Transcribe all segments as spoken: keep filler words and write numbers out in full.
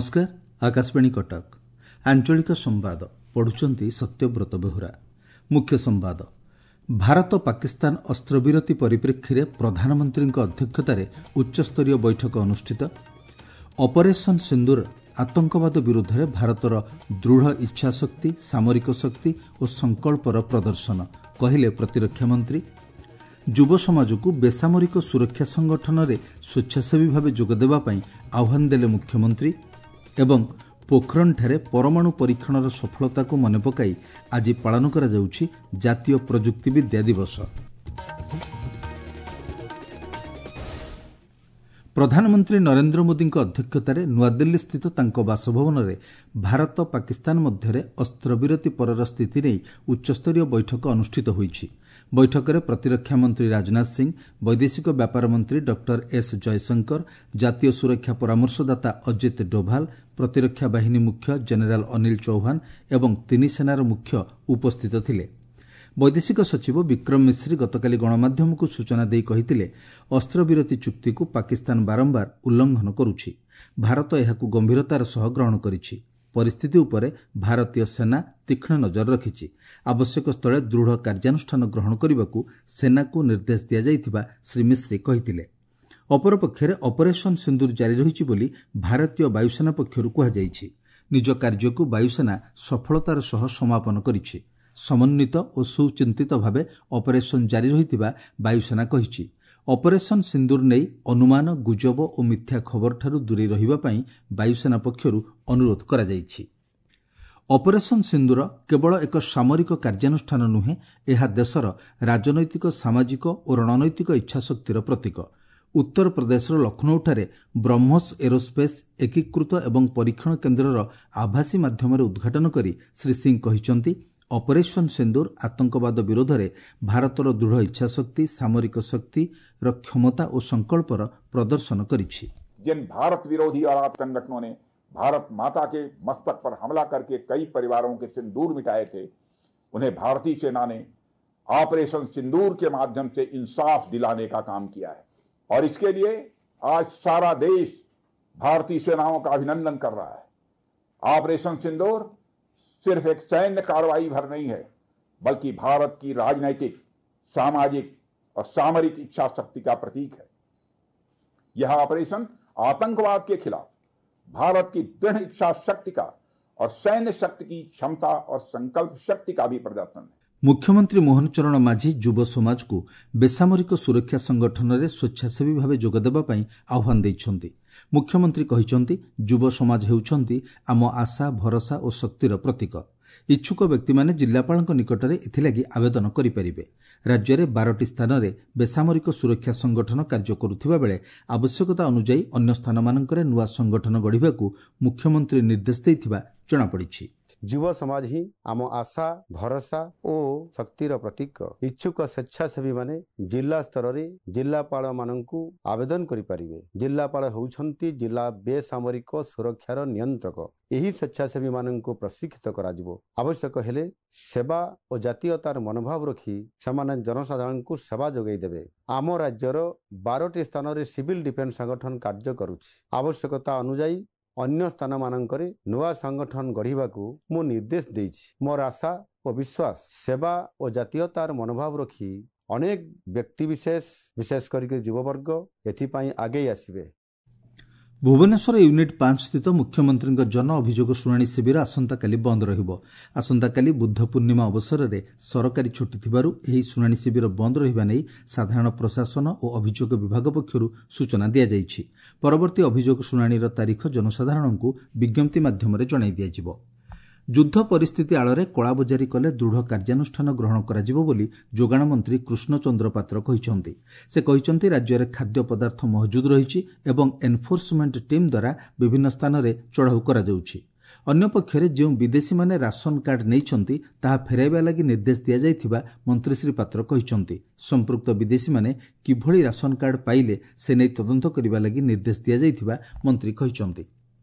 ନମସ୍କାର, ଆକାଶବାଣୀ କଟକ। ଆଞ୍ଚଳିକ ସମ୍ବାଦ ପଢୁଛନ୍ତି ସତ୍ୟବ୍ରତ ବେହୁରା। ମୁଖ୍ୟ ସମ୍ବାଦ: ଭାରତ ପାକିସ୍ତାନ ଅସ୍ତ୍ରବିରତି ପରିପ୍ରେକ୍ଷୀରେ ପ୍ରଧାନମନ୍ତ୍ରୀଙ୍କ ଅଧ୍ୟକ୍ଷତାରେ ଉଚ୍ଚସ୍ତରୀୟ ବୈଠକ ଅନୁଷ୍ଠିତ। ଅପରେସନ୍ ସିନ୍ଦୁର ଆତଙ୍କବାଦ ବିରୁଦ୍ଧରେ ଭାରତର ଦୃଢ଼ ଇଚ୍ଛାଶକ୍ତି, ସାମରିକ ଶକ୍ତି ଓ ସଂକଳ୍ପର ପ୍ରଦର୍ଶନ, କହିଲେ ପ୍ରତିରକ୍ଷା ମନ୍ତ୍ରୀ। ଯୁବ ସମାଜକୁ ବେସାମରିକ ସୁରକ୍ଷା ସଂଗଠନରେ ସ୍ୱେଚ୍ଛାସେବୀ ଭାବେ ଯୋଗଦେବା ପାଇଁ ଆହ୍ୱାନ ଦେଲେ ମୁଖ୍ୟମନ୍ତ୍ରୀ। ଏବଂ ପୋଖରଣଠାରେ ପରମାଣୁ ପରୀକ୍ଷଣର ସଫଳତାକୁ ମନେ ପକାଇ ଆଜି ପାଳନ କରାଯାଉଛି ଜାତୀୟ ପ୍ରଯୁକ୍ତିବିଦ୍ୟା ଦିବସ। ପ୍ରଧାନମନ୍ତ୍ରୀ ନରେନ୍ଦ୍ର ମୋଦିଙ୍କ ଅଧ୍ୟକ୍ଷତାରେ ନୂଆଦିଲ୍ଲୀସ୍ଥିତ ତାଙ୍କ ବାସଭବନରେ ଭାରତ ପାକିସ୍ତାନ ମଧ୍ୟରେ ଅସ୍ତ୍ରବିରତି ପରର ସ୍ଥିତି ନେଇ ଉଚ୍ଚସ୍ତରୀୟ ବୈଠକ ଅନୁଷ୍ଠିତ ହୋଇଛି। ବୈଠକରେ ପ୍ରତିରକ୍ଷା ମନ୍ତ୍ରୀ ରାଜନାଥ ସିଂ, ବୈଦେଶିକ ବ୍ୟାପାର ମନ୍ତ୍ରୀ ଡକ୍ଟର ଏସ୍ ଜୟଶଙ୍କର, ଜାତୀୟ ସୁରକ୍ଷା ପରାମର୍ଶଦାତା ଅଜିତ ଡୋଭାଲ, ପ୍ରତିରକ୍ଷା ବାହିନୀ ମୁଖ୍ୟ ଜେନେରାଲ ଅନିଲ ଚୌହାନ ଏବଂ ତିନି ସେନାର ମୁଖ୍ୟ ଉପସ୍ଥିତ ଥିଲେ। ବୈଦେଶିକ ସଚିବ ବିକ୍ରମ ମିଶ୍ରି ଗତକାଲି ଗଣମାଧ୍ୟମକୁ ସୂଚନା ଦେଇ କହିଥିଲେ, ଅସ୍ତ୍ରବିରତି ଚୁକ୍ତିକୁ ପାକିସ୍ତାନ ବାରମ୍ବାର ଉଲ୍ଲଂଘନ କରୁଛି। ଭାରତ ଏହାକୁ ଗମ୍ଭୀରତାର ସହ ଗ୍ରହଣ କରିଛି। ପରିସ୍ଥିତି ଉପରେ ଭାରତୀୟ ସେନା ତୀକ୍ଷ୍ଣ ନଜର ରଖିଛି। ଆବଶ୍ୟକ ସ୍ଥଳେ ଦୃଢ଼ କାର୍ଯ୍ୟାନୁଷ୍ଠାନ ଗ୍ରହଣ କରିବାକୁ ସେନାକୁ ନିର୍ଦ୍ଦେଶ ଦିଆଯାଇଥିବା ଶ୍ରୀ ମିଶ୍ରି କହିଥିଲେ। ଅପରପକ୍ଷରେ ଅପରେସନ୍ ସିନ୍ଦୁର ଜାରି ରହିଛି ବୋଲି ଭାରତୀୟ ବାୟୁସେନା ପକ୍ଷରୁ କୁହାଯାଇଛି। ନିଜ କାର୍ଯ୍ୟକୁ ବାୟୁସେନା ସଫଳତାର ସହ ସମାପନ କରିଛି। ସମନ୍ୱିତ ଓ ସୁଚିନ୍ତିତ ଭାବେ ଅପରେସନ୍ ଜାରି ରହିଥିବା ବାୟୁସେନା କହିଛି। ଅପରେସନ୍ ସିନ୍ଦୁର ନେଇ ଅନୁମାନ, ଗୁଜବ ଓ ମିଥ୍ୟା ଖବରଠାରୁ ଦୂରେଇ ରହିବା ପାଇଁ ବାୟୁସେନା ପକ୍ଷରୁ ଅନୁରୋଧ କରାଯାଇଛି। ଅପରେସନ୍ ସିନ୍ଦୁର କେବଳ ଏକ ସାମରିକ କାର୍ଯ୍ୟାନୁଷ୍ଠାନ ନୁହେଁ, ଏହା ଦେଶର ରାଜନୈତିକ, ସାମାଜିକ ଓ ରଣନୈତିକ ଇଚ୍ଛାଶକ୍ତିର ପ୍ରତୀକ। ଉତ୍ତରପ୍ରଦେଶର ଲକ୍ଷ୍ନୌଠାରେ ବ୍ରହ୍ମୋସ ଏରୋସ୍ପେସ୍ ଏକୀକୃତ ଏବଂ ପରୀକ୍ଷଣ କେନ୍ଦ୍ରର ଆଭାସୀ ମାଧ୍ୟମରେ ଉଦ୍ଘାଟନ କରି ଶ୍ରୀ ସିଂ କହିଛନ୍ତି, ଅପରେସନ୍ ସିନ୍ଦୁର ଆତଙ୍କବାଦ ବିରୋଧରେ ଭାରତର ଦୃଢ଼ ଇଚ୍ଛାଶକ୍ତି, ସାମରିକ ଶକ୍ତିର କ୍ଷମତା ଓ ସଂକଳ୍ପର ପ୍ରଦର୍ଶନ କରିଛି। जिन भारत विरोधी और आतंक संगठनों ने भारत माता के मस्तक पर हमला करके कई परिवारों के सिंदूर मिटाए थे, उन्हें भारतीय सेना ने ऑपरेशन सिंदूर के माध्यम से इंसाफ दिलाने का काम किया है और इसके लिए आज सारा देश भारतीय सेनाओं का अभिनंदन कर रहा है। ऑपरेशन सिंदूर सिर्फ एक सैन्य कार्रवाई भर नहीं है, बल्कि भारत की राजनीतिक, सामाजिक और सामरिक इच्छा शक्ति का प्रतीक है। यह ऑपरेशन आतंकवाद के खिलाफ भारत की दृढ़ इच्छा शक्ति का और सैन्य शक्ति की क्षमता और संकल्प शक्ति का भी प्रदर्शन है। ମୁଖ୍ୟମନ୍ତ୍ରୀ ମୋହନ ଚରଣ ମାଝୀ ଯୁବ ସମାଜକୁ ବେସାମରିକ ସୁରକ୍ଷା ସଂଗଠନରେ ସ୍ୱେଚ୍ଛାସେବୀ ଭାବେ ଯୋଗଦେବା ପାଇଁ ଆହ୍ୱାନ ଦେଇଛନ୍ତି। ମୁଖ୍ୟମନ୍ତ୍ରୀ କହିଛନ୍ତି, ଯୁବ ସମାଜ ହେଉଛନ୍ତି ଆମ ଆଶା, ଭରସା ଓ ଶକ୍ତିର ପ୍ରତୀକ। ଇଚ୍ଛୁକ ବ୍ୟକ୍ତିମାନେ ଜିଲ୍ଲାପାଳଙ୍କ ନିକଟରେ ଏଥିଲାଗି ଆବେଦନ କରିପାରିବେ। ରାଜ୍ୟରେ ବାରଟି ସ୍ଥାନରେ ବେସାମରିକ ସୁରକ୍ଷା ସଂଗଠନ କାର୍ଯ୍ୟ କରୁଥିବା ବେଳେ ଆବଶ୍ୟକତା ଅନୁଯାୟୀ ଅନ୍ୟ ସ୍ଥାନମାନଙ୍କରେ ନୂଆ ସଂଗଠନ ଗଢ଼ିବାକୁ ମୁଖ୍ୟମନ୍ତ୍ରୀ ନିର୍ଦ୍ଦେଶ ଦେଇଥିବା ଜଣାପଡ଼ିଛି। ଯୁବ ସମାଜ ହିଁ ଆମ ଆଶା, ଭରସା ଓ ଶକ୍ତିର ପ୍ରତୀକ। ଇଚ୍ଛୁକ ସ୍ୱେଚ୍ଛାସେବୀମାନେ ଜିଲ୍ଲା ସ୍ତରରେ ଜିଲ୍ଲାପାଳମାନଙ୍କୁ ଆବେଦନ କରିପାରିବେ। ଜିଲ୍ଲାପାଳ ହେଉଛନ୍ତି ଜିଲ୍ଲା ବେସାମରିକ ସୁରକ୍ଷାର ନିୟନ୍ତ୍ରକ। ଏହି ସ୍ୱେଚ୍ଛାସେବୀମାନଙ୍କୁ ପ୍ରଶିକ୍ଷିତ କରାଯିବ। ଆବଶ୍ୟକ ହେଲେ ସେବା ଓ ଜାତୀୟତାର ମନୋଭାବ ରଖି ସେମାନେ ଜନସାଧାରଣଙ୍କୁ ସେବା ଯୋଗାଇ ଦେବେ। ଆମ ରାଜ୍ୟର ବାରଟି ସ୍ଥାନରେ ସିଭିଲ ଡିଫେନ୍ସ ସଂଗଠନ କାର୍ଯ୍ୟ କରୁଛି। ଆବଶ୍ୟକତା ଅନୁଯାୟୀ ଅନ୍ୟ ସ୍ଥାନମାନଙ୍କରେ ନୂଆ ସଂଗଠନ ଗଢ଼ିବାକୁ ମୁଁ ନିର୍ଦ୍ଦେଶ ଦେଇଛି। ମୋର ଆଶା ଓ ବିଶ୍ୱାସ, ସେବା ଓ ଜାତୀୟତାର ମନୋଭାବ ରଖି ଅନେକ ବ୍ୟକ୍ତିବିଶେଷ, ବିଶେଷ କରିକି ଯୁବବର୍ଗ ଏଥିପାଇଁ ଆଗେଇ ଆସିବେ। ଭୁବନେଶ୍ୱର ୟୁନିଟ୍ ପାଞ୍ଚ ସ୍ଥିତ ମୁଖ୍ୟମନ୍ତ୍ରୀଙ୍କ ଜନ ଅଭିଯୋଗ ଶୁଣାଣି ଶିବିର ଆସନ୍ତାକାଲି ବନ୍ଦ ରହିବ। ଆସନ୍ତାକାଲି ବୁଦ୍ଧ ପୂର୍ଣ୍ଣିମା ଅବସରରେ ସରକାରୀ ଛୁଟି ଥିବାରୁ ଏହି ଶୁଣାଣି ଶିବିର ବନ୍ଦ ରହିବା ନେଇ ସାଧାରଣ ପ୍ରଶାସନ ଓ ଅଭିଯୋଗ ବିଭାଗ ପକ୍ଷରୁ ସୂଚନା ଦିଆଯାଇଛି। ପରବର୍ତ୍ତୀ ଅଭିଯୋଗ ଶୁଣାଣିର ତାରିଖ ଜନସାଧାରଣଙ୍କୁ ବିଜ୍ଞପ୍ତି ମାଧ୍ୟମରେ ଜଣାଇ ଦିଆଯିବ। ଯୁଦ୍ଧ ପରିସ୍ଥିତି ଆଳରେ କଳାବଜାରୀ କଲେ ଦୃଢ଼ କାର୍ଯ୍ୟାନୁଷ୍ଠାନ ଗ୍ରହଣ କରାଯିବ ବୋଲି ଯୋଗାଣ ମନ୍ତ୍ରୀ କୃଷ୍ଣଚନ୍ଦ୍ର ପାତ୍ର କହିଛନ୍ତି। ସେ କହିଛନ୍ତି, ରାଜ୍ୟରେ ଖାଦ୍ୟ ପଦାର୍ଥ ମହଜୁଦ ରହିଛି ଏବଂ ଏନ୍ଫୋର୍ସମେଣ୍ଟ ଟିମ୍ ଦ୍ୱାରା ବିଭିନ୍ନ ସ୍ଥାନରେ ଚଢ଼ାଉ କରାଯାଉଛି। ଅନ୍ୟପକ୍ଷରେ ଯେଉଁ ବିଦେଶୀମାନେ ରାସନ କାର୍ଡ ନେଇଛନ୍ତି ତାହା ଫେରାଇବା ଲାଗି ନିର୍ଦ୍ଦେଶ ଦିଆଯାଇଥିବା ମନ୍ତ୍ରୀ ଶ୍ରୀ ପାତ୍ର କହିଛନ୍ତି। ସମ୍ପୃକ୍ତ ବିଦେଶୀମାନେ କିଭଳି ରାସନ କାର୍ଡ ପାଇଲେ ସେ ନେଇ ତଦନ୍ତ କରିବା ଲାଗି ନିର୍ଦ୍ଦେଶ ଦିଆଯାଇଥିବା ମନ୍ତ୍ରୀ କହିଛନ୍ତି।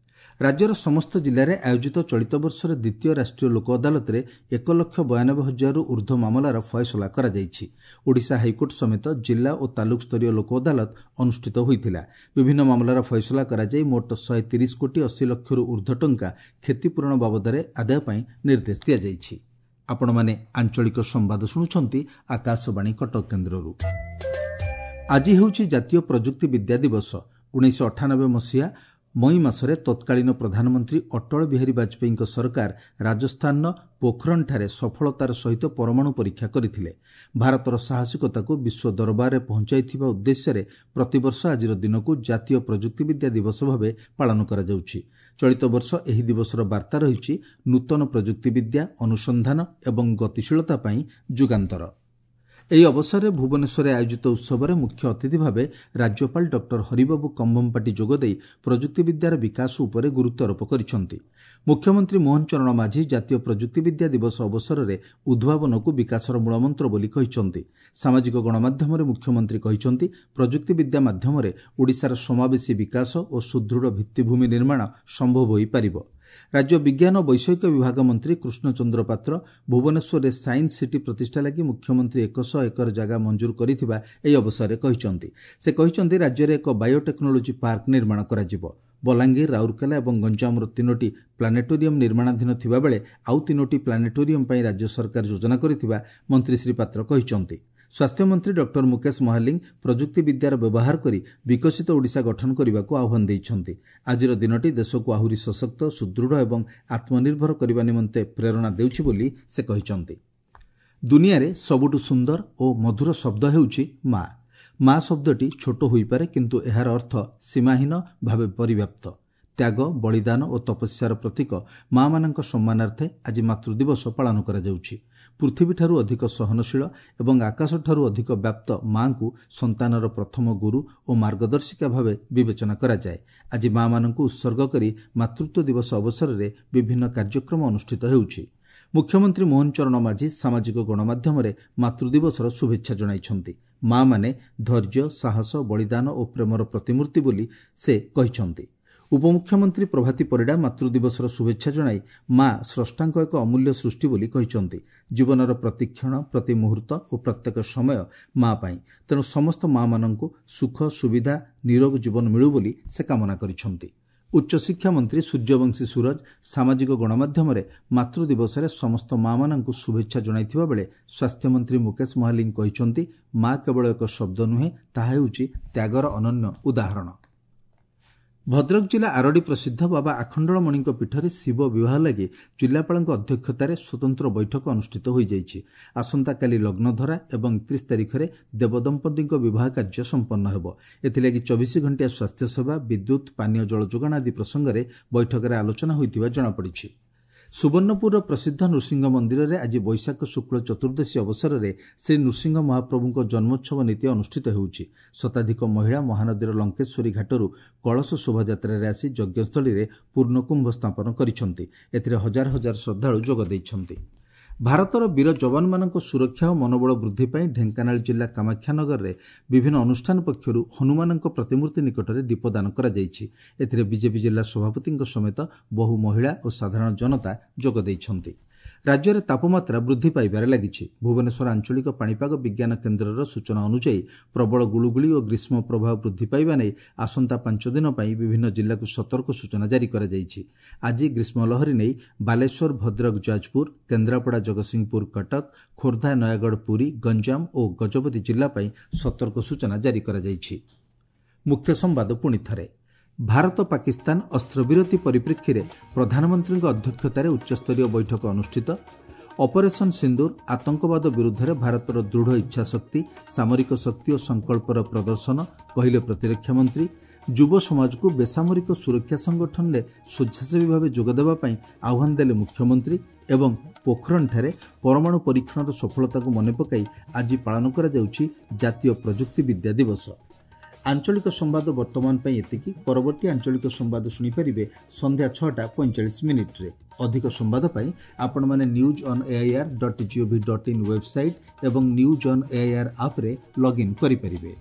ରାଜ୍ୟର ସମସ୍ତ ଜିଲ୍ଲାରେ ଆୟୋଜିତ ଚଳିତ ବର୍ଷର ଦ୍ୱିତୀୟ ରାଷ୍ଟ୍ରୀୟ ଲୋକ ଅଦାଲତରେ ଏକ ଲକ୍ଷ ବୟାନବେ ହଜାରରୁ ଉର୍ଦ୍ଧ୍ୱ ମାମଲାର ଫଏସଲା କରାଯାଇଛି। ଓଡ଼ିଶା ହାଇକୋର୍ଟ ସମେତ ଜିଲ୍ଲା ଓ ତାଲୁକ ସ୍ତରୀୟ ଲୋକ ଅଦାଲତ ଅନୁଷ୍ଠିତ ହୋଇଥିଲା। ବିଭିନ୍ନ ମାମଲାର ଫଏସଲା କରାଯାଇ ମୋଟ ଶହେ ତିରିଶ କୋଟି ଅଶୀ ଲକ୍ଷରୁ ଉର୍ଦ୍ଧ୍ୱ ଟଙ୍କା କ୍ଷତିପୂରଣ ବାବଦରେ ଆଦାୟ ପାଇଁ ନିର୍ଦ୍ଦେଶ ଦିଆଯାଇଛି। ଆପଣମାନେ ଆଞ୍ଚଳିକ ସମ୍ବାଦ ଶୁଣୁଛନ୍ତି ଆକାଶବାଣୀ କଟକ କେନ୍ଦ୍ରରୁ। ଆଜି ହେଉଛି ଜାତୀୟ ପ୍ରଯୁକ୍ତି ବିଦ୍ୟା ଦିବସ। ଉଣେଇଶହ ଅଠାନବେ ମସିହା ମଇ ମାସରେ ତତ୍କାଳୀନ ପ୍ରଧାନମନ୍ତ୍ରୀ ଅଟଳ ବିହାରୀ ବାଜପେୟୀଙ୍କ ସରକାର ରାଜସ୍ଥାନର ପୋଖରଣଠାରେ ସଫଳତାର ସହିତ ପରମାଣୁ ପରୀକ୍ଷା କରିଥିଲେ। ଭାରତର ସାହସିକତାକୁ ବିଶ୍ୱ ଦରବାରରେ ପହଞ୍ଚାଇଥିବା ଉଦ୍ଦେଶ୍ୟରେ ପ୍ରତିବର୍ଷ ଆଜିର ଦିନକୁ ଜାତୀୟ ପ୍ରଯୁକ୍ତିବିଦ୍ୟା ଦିବସ ଭାବେ ପାଳନ କରାଯାଉଛି। ଚଳିତ ବର୍ଷ ଏହି ଦିବସର ବାର୍ତ୍ତା ରହିଛି ନୂତନ ପ୍ରଯୁକ୍ତିବିଦ୍ୟା, ଅନୁସନ୍ଧାନ ଏବଂ ଗତିଶୀଳତା ପାଇଁ ଯୁଗାନ୍ତର। ଏହି ଅବସରରେ ଭୁବନେଶ୍ୱରରେ ଆୟୋଜିତ ଉତ୍ସବରେ ମୁଖ୍ୟ ଅତିଥି ଭାବେ ରାଜ୍ୟପାଳ ଡକ୍ଟର ହରିବାବୁ କମ୍ଭମପାଟି ଯୋଗଦେଇ ପ୍ରଯୁକ୍ତିବିଦ୍ୟାର ବିକାଶ ଉପରେ ଗୁରୁତ୍ୱାରୋପ କରିଛନ୍ତି। ମୁଖ୍ୟମନ୍ତ୍ରୀ ମୋହନ ଚରଣ ମାଝୀ ଜାତୀୟ ପ୍ରଯୁକ୍ତିବିଦ୍ୟା ଦିବସ ଅବସରରେ ଉଦ୍ଭାବନକୁ ବିକାଶର ମୂଳମନ୍ତ୍ର ବୋଲି କହିଛନ୍ତି। ସାମାଜିକ ଗଣମାଧ୍ୟମରେ ମୁଖ୍ୟମନ୍ତ୍ରୀ କହିଛନ୍ତି, ପ୍ରଯୁକ୍ତିବିଦ୍ୟା ମାଧ୍ୟମରେ ଓଡ଼ିଶାର ସମାବେଶୀ ବିକାଶ ଓ ସୁଦୃଢ଼ ଭିତ୍ତିଭୂମି ନିର୍ମାଣ ସମ୍ଭବ ହୋଇପାରିବ। ରାଜ୍ୟ ବିଜ୍ଞାନ ଓ ବୈଷୟିକ ବିଭାଗ ମନ୍ତ୍ରୀ କୃଷ୍ଣଚନ୍ଦ୍ର ପାତ୍ର ଭୁବନେଶ୍ୱରରେ ସାଇନ୍ସ ସିଟି ପ୍ରତିଷ୍ଠା ଲାଗି ମୁଖ୍ୟମନ୍ତ୍ରୀ ଏକଶହ ଏକର ଜାଗା ମଞ୍ଜୁର କରିଥିବା ଏହି ଅବସରରେ କହିଛନ୍ତି। ସେ କହିଛନ୍ତି, ରାଜ୍ୟରେ ଏକ ବାୟୋଟେକ୍ନୋଲୋଜି ପାର୍କ ନିର୍ମାଣ କରାଯିବ। ବଲାଙ୍ଗୀର, ରାଉରକେଲା ଏବଂ ଗଞ୍ଜାମର ତିନୋଟି ପ୍ଲାନେଟୋରିୟମ୍ ନିର୍ମାଣାଧୀନ ଥିବାବେଳେ ଆଉ ତିନୋଟି ପ୍ଲାନେଟୋରିୟମ୍ ପାଇଁ ରାଜ୍ୟ ସରକାର ଯୋଜନା କରିଥିବା ମନ୍ତ୍ରୀ ଶ୍ରୀ ପାତ୍ର କହିଛନ୍ତି। ସ୍ୱାସ୍ଥ୍ୟମନ୍ତ୍ରୀ ଡକ୍ଟର ମୁକେଶ ମହାଲିଙ୍ଗ ପ୍ରଯୁକ୍ତିବିଦ୍ୟାର ବ୍ୟବହାର କରି ବିକଶିତ ଓଡ଼ିଶା ଗଠନ କରିବାକୁ ଆହ୍ୱାନ ଦେଇଛନ୍ତି। ଆଜିର ଦିନଟି ଦେଶକୁ ଆହୁରି ସଶକ୍ତ, ସୁଦୃଢ଼ ଏବଂ ଆତ୍ମନିର୍ଭର କରିବା ନିମନ୍ତେ ପ୍ରେରଣା ଦେଉଛି ବୋଲି ସେ କହିଛନ୍ତି। ଦୁନିଆରେ ସବୁଠୁ ସୁନ୍ଦର ଓ ମଧୁର ଶବ୍ଦ ହେଉଛି ମା। ମା ଶବ୍ଦଟି ଛୋଟ ହୋଇପାରେ, କିନ୍ତୁ ଏହାର ଅର୍ଥ ସୀମାହୀନ ଭାବେ ପରିବ୍ୟାପ୍ତ। ତ୍ୟାଗ, ବଳିଦାନ ଓ ତପସ୍ୟାର ପ୍ରତୀକ ମା'ମାନଙ୍କ ସମ୍ମାନାର୍ଥେ ଆଜି ମାତୃଦିବସ ପାଳନ କରାଯାଉଛି। ପୃଥିବୀଠାରୁ ଅଧିକ ସହନଶୀଳ ଏବଂ ଆକାଶଠାରୁ ଅଧିକ ବ୍ୟାପ୍ତ ମା'ଙ୍କୁ ସନ୍ତାନର ପ୍ରଥମ ଗୁରୁ ଓ ମାର୍ଗଦର୍ଶିକା ଭାବେ ବିବେଚନା କରାଯାଏ। ଆଜି ମା'ମାନଙ୍କୁ ଉତ୍ସର୍ଗ କରି ମାତୃତ୍ୱ ଦିବସ ଅବସରରେ ବିଭିନ୍ନ କାର୍ଯ୍ୟକ୍ରମ ଅନୁଷ୍ଠିତ ହେଉଛି। ମୁଖ୍ୟମନ୍ତ୍ରୀ ମୋହନ ଚରଣ ମାଝୀ ସାମାଜିକ ଗଣମାଧ୍ୟମରେ ମାତୃଦିବସର ଶୁଭେଚ୍ଛା ଜଣାଇଛନ୍ତି। ମା'ମାନେ ଧୈର୍ଯ୍ୟ, ସାହସ, ବଳିଦାନ ଓ ପ୍ରେମର ପ୍ରତିମୂର୍ତ୍ତି ବୋଲି ସେ କହିଛନ୍ତି। ଉପମୁଖ୍ୟମନ୍ତ୍ରୀ ପ୍ରଭାତୀ ପରିଡ଼ା ମାତୃଦିବସର ଶୁଭେଚ୍ଛା ଜଣାଇ ମା ସ୍ରଷ୍ଟାଙ୍କ ଏକ ଅମୂଲ୍ୟ ସୃଷ୍ଟି ବୋଲି କହିଛନ୍ତି। ଜୀବନର ପ୍ରତିକ୍ଷଣ, ପ୍ରତି ମୁହୂର୍ତ୍ତ ଓ ପ୍ରତ୍ୟେକ ସମୟ ମା ପାଇଁ। ତେଣୁ ସମସ୍ତ ମା'ମାନଙ୍କୁ ସୁଖ, ସୁବିଧା, ନିରୋଗ ଜୀବନ ମିଳୁ ବୋଲି ସେ କାମନା କରିଛନ୍ତି। ଉଚ୍ଚଶିକ୍ଷା ମନ୍ତ୍ରୀ ସୂର୍ଯ୍ୟବଂଶୀ ସୂରଜ ସାମାଜିକ ଗଣମାଧ୍ୟମରେ ମାତୃଦିବସରେ ସମସ୍ତ ମା'ମାନଙ୍କୁ ଶୁଭେଚ୍ଛା ଜଣାଇଥିବା ବେଳେ ସ୍ୱାସ୍ଥ୍ୟମନ୍ତ୍ରୀ ମୁକେଶ ମହାଲିଙ୍ଗ କହିଛନ୍ତି, ମା କେବଳ ଏକ ଶବ୍ଦ ନୁହେଁ, ତାହା ହେଉଛି ତ୍ୟାଗର ଅନନ୍ୟ ଉଦାହରଣ। ଭଦ୍ରକ ଜିଲ୍ଲା ଆରଡ଼ି ପ୍ରସିଦ୍ଧ ବାବା ଆଖଣ୍ଡଳମଣିଙ୍କ ପୀଠରେ ଶିବ ବିବାହ ଲାଗି ଜିଲ୍ଲାପାଳଙ୍କ ଅଧ୍ୟକ୍ଷତାରେ ସ୍ୱତନ୍ତ୍ର ବୈଠକ ଅନୁଷ୍ଠିତ ହୋଇଯାଇଛି। ଆସନ୍ତାକାଲି ଲଗ୍ନଧରା ଏବଂ ଏକତିରିଶ ତାରିଖରେ ଦେବଦମ୍ପତିଙ୍କ ବିବାହ କାର୍ଯ୍ୟ ସମ୍ପନ୍ନ ହେବ। ଏଥିଲାଗି ଚବିଶ ଘଣ୍ଟିଆ ସ୍ୱାସ୍ଥ୍ୟସେବା, ବିଦ୍ୟୁତ୍, ପାନୀୟ ଜଳ ଯୋଗାଣ ଆଦି ପ୍ରସଙ୍ଗରେ ବୈଠକରେ ଆଲୋଚନା ହୋଇଥିବା ଜଣାପଡ଼ିଛି। ସୁବର୍ଣ୍ଣପୁରର ପ୍ରସିଦ୍ଧ ନୃସିଂହ ମନ୍ଦିରରେ ଆଜି ବୈଶାଖ ଶୁକ୍ଳ ଚତୁର୍ଦ୍ଦଶୀ ଅବସରରେ ଶ୍ରୀ ନୃସିଂହ ମହାପ୍ରଭୁଙ୍କ ଜନ୍ମୋତ୍ସବ ନୀତି ଅନୁଷ୍ଠିତ ହେଉଛି। ଶତାଧିକ ମହିଳା ମହାନଦୀର ଲଙ୍କେଶ୍ୱରୀ ଘାଟରୁ କଳସ ଶୋଭାଯାତ୍ରାରେ ଆସି ଯଜ୍ଞସ୍ଥଳୀରେ ପୂର୍ଣ୍ଣକୁମ୍ଭ ସ୍ଥାପନ କରିଛନ୍ତି। ଏଥିରେ ହଜାର ହଜାର ଶ୍ରଦ୍ଧାଳୁ ଯୋଗ ଦେଇଛନ୍ତି। ଭାରତର ବୀର ଯବାନମାନଙ୍କ ସୁରକ୍ଷା ଓ ମନୋବଳ ବୃଦ୍ଧି ପାଇଁ ଢେଙ୍କାନାଳ ଜିଲ୍ଲା କାମାକ୍ଷାନଗରରେ ବିଭିନ୍ନ ଅନୁଷ୍ଠାନ ପକ୍ଷରୁ ହନୁମାନଙ୍କ ପ୍ରତିମୂର୍ତ୍ତି ନିକଟରେ ଦୀପଦାନ କରାଯାଇଛି। ଏଥିରେ ବିଜେପି ଜିଲ୍ଲା ସଭାପତିଙ୍କ ସମେତ ବହୁ ମହିଳା ଓ ସାଧାରଣ ଜନତା ଯୋଗ ଦେଇଛନ୍ତି। ରାଜ୍ୟରେ ତାପମାତ୍ରା ବୃଦ୍ଧି ପାଇବାରେ ଲାଗିଛି। ଭୁବନେଶ୍ୱର ଆଞ୍ଚଳିକ ପାଣିପାଗ ବିଜ୍ଞାନ କେନ୍ଦ୍ରର ସୂଚନା ଅନୁଯାୟୀ ପ୍ରବଳ ଗୁଳୁଗୁଳି ଓ ଗ୍ରୀଷ୍ମ ପ୍ରବାହ ବୃଦ୍ଧି ପାଇବା ନେଇ ଆସନ୍ତା ପାଞ୍ଚ ଦିନ ପାଇଁ ବିଭିନ୍ନ ଜିଲ୍ଲାକୁ ସତର୍କ ସୂଚନା ଜାରି କରାଯାଇଛି। ଆଜି ଗ୍ରୀଷ୍ମ ଲହରୀ ନେଇ ବାଲେଶ୍ୱର, ଭଦ୍ରକ, ଯାଜପୁର, କେନ୍ଦ୍ରାପଡ଼ା, ଜଗତସିଂହପୁର, କଟକ, ଖୋର୍ଦ୍ଧା, ନୟାଗଡ଼, ପୁରୀ, ଗଞ୍ଜାମ ଓ ଗଜପତି ଜିଲ୍ଲା ପାଇଁ ସତର୍କ ସୂଚନା ଜାରି କରାଯାଇଛି। ମୁଖ୍ୟ ସମ୍ବାଦ ପୁଣି ଥରେ। ଭାରତ ପାକିସ୍ତାନ ଅସ୍ତ୍ରବିରତି ପରିପ୍ରେକ୍ଷୀରେ ପ୍ରଧାନମନ୍ତ୍ରୀଙ୍କ ଅଧ୍ୟକ୍ଷତାରେ ଉଚ୍ଚସ୍ତରୀୟ ବୈଠକ ଅନୁଷ୍ଠିତ। ଅପରେସନ୍ ସିନ୍ଦୁର ଆତଙ୍କବାଦ ବିରୁଦ୍ଧରେ ଭାରତର ଦୃଢ଼ ଇଚ୍ଛାଶକ୍ତି, ସାମରିକ ଶକ୍ତି ଓ ସଂକଳ୍ପର ପ୍ରଦର୍ଶନ, କହିଲେ ପ୍ରତିରକ୍ଷା ମନ୍ତ୍ରୀ। ଯୁବ ସମାଜକୁ ବେସାମରିକ ସୁରକ୍ଷା ସଂଗଠନରେ ସ୍ୱେଚ୍ଛାସେବୀ ଭାବେ ଯୋଗଦେବା ପାଇଁ ଆହ୍ୱାନ ଦେଲେ ମୁଖ୍ୟମନ୍ତ୍ରୀ। ଏବଂ ପୋଖରଣଠାରେ ପରମାଣୁ ପରୀକ୍ଷଣର ସଫଳତାକୁ ମନେ ପକାଇ ଆଜି ପାଳନ କରାଯାଉଛି ଜାତୀୟ ପ୍ରଯୁକ୍ତିବିଦ୍ୟା ଦିବସ। ଆଞ୍ଚଳିକ ସମ୍ବାଦ ବର୍ତ୍ତମାନ ପାଇଁ ଏତିକି। ପରବର୍ତ୍ତୀ ଆଞ୍ଚଳିକ ସମ୍ବାଦ ଶୁଣିପାରିବେ ସନ୍ଧ୍ୟା ଛଅଟା ପଇଁଚାଳିଶ ମିନିଟ୍ରେ। ଅଧିକ ସମ୍ବାଦ ପାଇଁ ଆପଣମାନେ news on AIR dot gov dot in website ଏବଂ ନ୍ୟୁଜ୍ ଅନ୍ ଏଆଇଆର୍ ଆପ୍ରେ ଲଗ୍ଇନ୍ କରିପାରିବେ।